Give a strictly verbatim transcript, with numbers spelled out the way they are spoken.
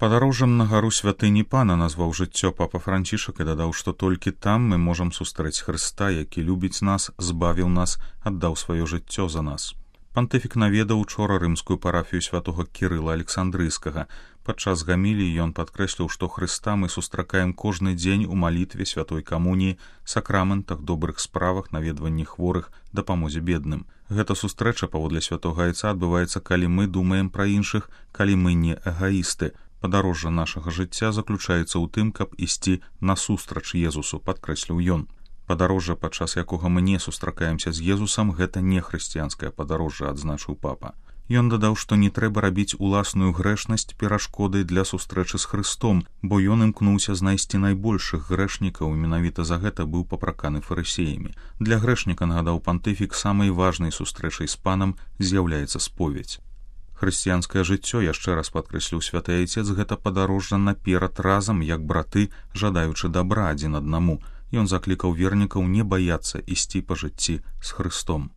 Падарожжам на гару святыні Пана назваў жыццё папа Францішак і дадаў, што толькі там мы можам сустрэць Хрыста, які любіць нас, збавіў нас, аддаў сваё жыццё за нас. Пантыфік наведаў учора рымскую парафію святога Кірыла Александрыйскага. Падчас гаміліі ён падкрэсліў, што Хрыста мы сустракаем кожны дзень у малітве, святой камуніі, сакраментах, добрых справах, наведванні хворых, дапамозе бедным. Гэта сустрэча, паводле святога айца, адбываецца, калі мы думаем пра іншых, калі мы не эгаісты. Падарожжа нашага жыцця заключаецца ў тым, каб ісці насустрач Езусу, падкрэсліў ён. Падарожжа, падчас якога мы не сустракаемся з Езусам, гэта не хрысціянскае падарожжа, адзначыў папа. Ён дадаў, што не трэба рабіць уласную грэшнасць перашкодай для сустрэчы з Хрыстом, бо ён імкнуўся знайсці найбольшых грэшнікаў, і менавіта за гэта быў папраканы фарысеямі. Для грэшніка, нагадаў пантыфік, самай важнай сустрэчай з панам з'яўляецца споведь. Хрысціянскае жыццё, яшчэ раз падкрэсліў святы айцец, гэта падарожжа наперад разам, як браты, жадаючы дабра адзін аднаму. Ён заклікаў вернікаў не баяцца ісці па жыцці з Хрыстом.